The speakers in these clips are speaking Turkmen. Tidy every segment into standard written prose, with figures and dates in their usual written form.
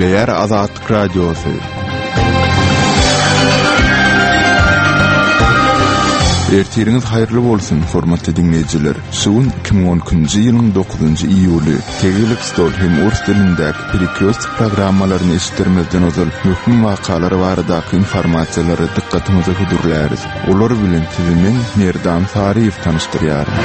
Gepleýär Azatlyk Radiosy. Ertiriňiz haýyrly bolsun, hormatly diňleýjiler! Şu gün 2012-nji ýylyň 9-njy iýuly. Tegelek stol hem ors dilindäki Perekrýostok programmalaryny eşitdirmezden ozal möhüm wakalar baradaky informasiýalary dykgatyňyza hödürläris. Olar bilen sizi men, Merdan Saryýew tanyşdyrýaryn.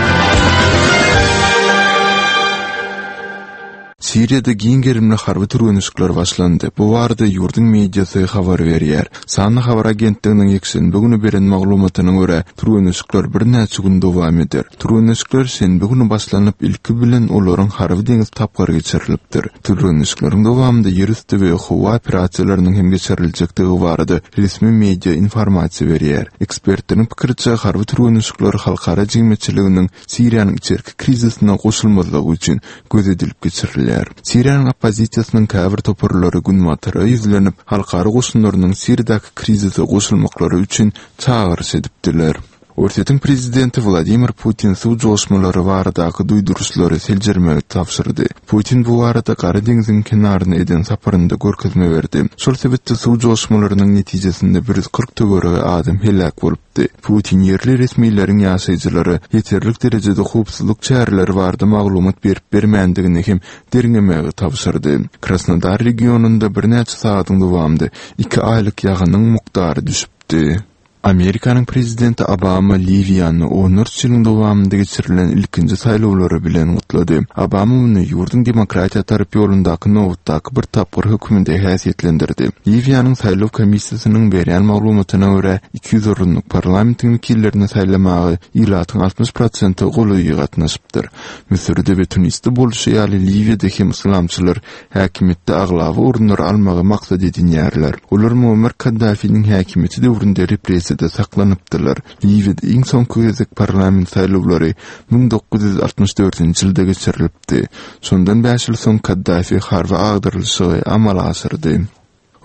Siriýada giň gerimli harby türgenleşikler başlandy. Bu barada ýurduň mediasy habar berýär. Sanly habar agentliginiň ýekşenbe güni beren maglumatyna görä, türgenleşikler birnäçe gün dowam eder. Türgenleşikler şenbe güni başlanyp, ilki bilen olaryň harby-deňiz tapgyry geçirilipdir. Türgenleşikleriň dowamynda ýerüsti we howa operasiýalarynyň hem geçiriljekdigi barada resmi media informasiýa berýär. Ekspertleriň pikiriçe, harby türgenleşikler halkara jemgyýetçiliginiň Siriýanyň içerki krizisine goşulmazlygy üçin göz edilip geçirilýär. Siriýanyň oppozisiýasynyň käbir toparlary Günbatara ýüzlenip, halkara goşunlarynyň Siriýadaky krizise goşulmaklary üçin çagyryş edipdiler. Orsýetiň prezidenti Wladimir Putin suw joşmalary baradaky duýduryşlary seljermegi tabşyrdy. Putin bu barada Gara deňziň kenaryna eden saparynda görkezme berdi. Şol sebitde suw joşmalarynyň netijesinde 140 töweregi adam heläk bolupdy. Putin ýerli resmileriň ýaşaýjylara ýeterlik derejede howpsuzlyk çäreleri barada maglumat berip-bermändigini hem derňemegi tabşyrdy. Krasnodar regionynda birnäçe sagadyň dowamynda iki aýlyk ýagynyň mukdary düşüpdi. Amerikanyň prezidenti Obama Liwiýany onlarça ýylyň dowamynda geçirilen ilkinji saýlawlary bilen gutlady. Obama muny ýurduň demokratiýa tarap ýolundaky nobatdaky bir tapgyr hökmünde häsiýetlendirdi. Liwiýanyň saýlaw komissiýasynyň berýän maglumatyna görä, 200 orunlyk parlamentiň wekillerini saýlamaga ilatyň 60 prosente golaýy gatnaşypdyr. Müsürde we Tunisde bolşy ýaly Liwiýada hem yslamçylar häkimiýetde aglaba orunlary almagy maksat edinýärler. Olar Muammar Kaddafiniň häkimiýeti döwründe repressiýada saklanypdylar. Liwiýada iň soňky gezek parlament saýlawlary 1964-nji ýylda geçirilipdi. Şondan bäş ýyl soň Kaddafi harby agdarylyşygy amala aşyrdy.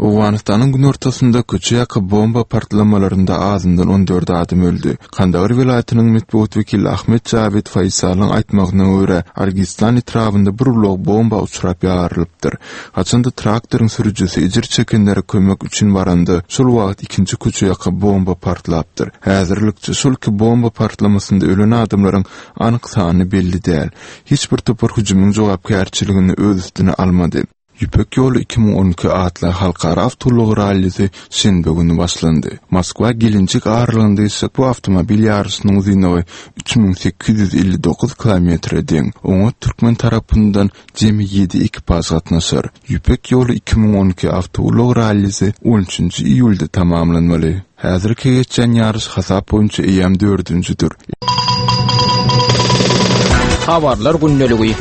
Owganystanyň günortasynda köçe ýaka bomba partlamalarynda azyndan 14 adam öldi. Kandahar welaýatynyň metbugat wekili Ahmet Jawid Faýsalyň aýtmagyna görä, Argistan etrabynda bir ulag bomba uçrap ýarylypdyr. Haçanda traktoryň sürüjisi ejir çekenlere kömek üçin baranda, şol wagt ikinji köçe ýaka bomba partlapdyr. Häzirlikçe şol iki bomba partlamasynda ölen adamlaryň anyk sany belli däl. Hiç bir topar hüjümiň jogapkärçiligini öz üstüne almady. Ýüpek ýoly 2012 atly halkara awtoulag rallisi şenbe güni başlandy. Moskwa Gelenjik aralygynda geçjek bu awtomobil ýaryşynyň uzynlygy 3859 kilometre deň. Oňa türkmen tarapyndan jemi ýedi ekipaž gatnaşar. Ýüpek ýoly 2012 awtoulag rallisi on üçünji iýulda tamamlanmaly. Häzirki geçýän ýaryş hasap boýunça eýýäm dördünjidir. Habarlar gündeligi.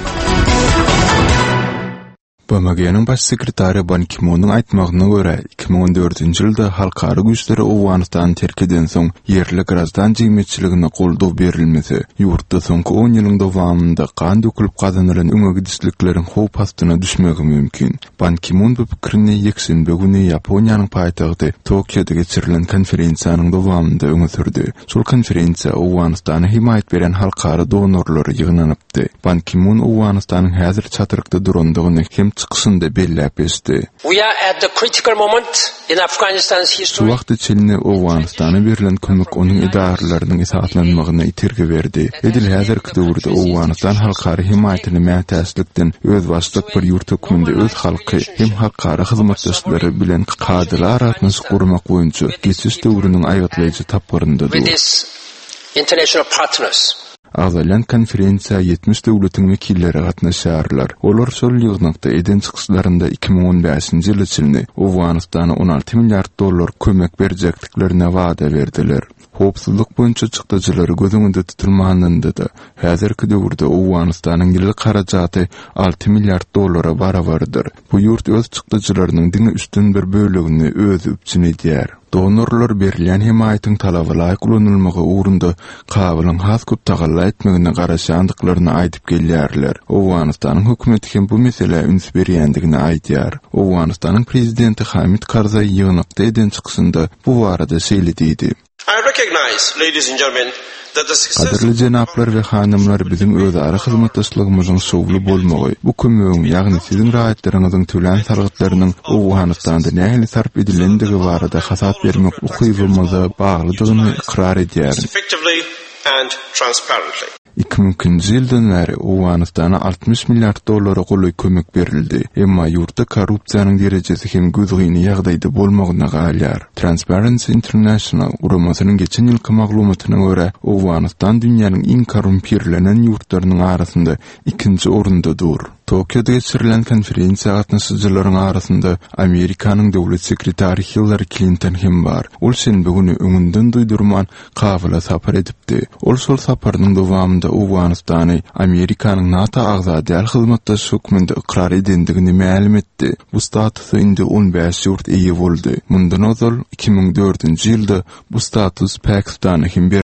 BMG-niň Baş sekretary Ban Ki-munyň aýtmagyna görä, 2014-nji ýylda halkara güýçleri Owganystany terk edensoň, ýerli graždan jemgyýetçiligine goldaw berilmese, ýurtda soňky on ýylyň dowamynda gan dökülip gazanylan öňe gidişlikleriň howp astyna düşmegi mümkin. Ban Ki-mun bu pikirini ýekşenbe güni Ýaponiýanyň paýtagty Tokioda geçirilen konferensiýanyň dowamynda öňe sürdi. Şol konferensiýa Owganystana hemaýat berýän halkara donorlary ýygnanypdy. Ban Ki-mun Owganystanyň häzir çatrykda durandygyny hem çykyşynda belläp geçdi. We are at the critical moment in Afghanistan's Şu history. wagta çenli Owganystana berlen kömek onuň edaralarynyň esaslanmagyna itergi berdi. Edil häzirki döwürde Owganystan halkara hemaýatyna mätäçlikden özbaşdak bir ýurt hökmünde öz halky hem halkara hyzmatdaşlary bilen kadaly aragatnaşyk gurmak boýunça geçiş döwrüniň aýgytlaýjy tapgyrynda dur. Agzalýan konferensiýa 70 döwletiň wekilleri gatnaşýarlar. Olar şol ýygnakda eden çykyşlarynda 2015-nji ýyla çenli Owganystana 16 milliard dollar kömek berjekdiklerine wada berdiler. Howpsuzlyk boýunça çykdajylary göz öňünde tutulmanynda-da, häzirki döwürde Owganystanyň ýyllyk harajaty alty milliard dollara barabardyr. Bu ýurt öz çykdajylarynyň diňe üçden bir bölegini özi üpjün edýär. Donorlar berilýän hemaýatyň talaba laýyk ulanylmagy ugrunda Kabulyň has köp tagalla etmegine garaşýandyklaryny aýdyp gelýärler. Owganystanyň hökümeti hem bu meselä üns berýändigini aýdýar. Owganystanyň prezidenti Hamid Karzaý ýygnakda eden çykyşynda bu barada şeýle diýdi. I recognize, ladies and gentlemen, that the success Gadyrly jenaplar we hanymlar, biziň özara hyzmatdaşlygymyzyň şowly bolmagy, bu kömegiň, ýagny siziň raýatlaryňyzyň tölän salgytlarynyň Owganystanda nähili sarp edilendigi barada hasap bermek ukybymyza baglydygyny ykrar edýärin. effectively and transparently. 2002-nji ýyldan bäri Owganystana 60 milliard dollara golaý kömek berildi, emma ýurtda korrupsiýanyň derejesi hem gözgyny ýagdaýda bolmagyna galýar. Transparency International guramasynyň geçen ýylky maglumatyna görä, Owganystan dünýäniň iň korrumpirlenen ýurtlarynyň arasynda ikinji orunda dur. Tokioda geçirilen konferensiýa gatnaşyjylaryň arasynda Amerikanyň döwlet sekretary Hillari Klinton hem bar. Ol şenbe güni öňünden duýdurman Kabula sapar edipdi. Ol şol saparynyň dowamynda Owganystany Amerikanyň NATO agza däl hyzmatdaşy hökmünde ykrar edendigini mälim etdi. Bu statusa indi 15 ýurt eýe boldy. Mundan ozal, 2004-nji ýylda bu status Pakistana hem berilipdi.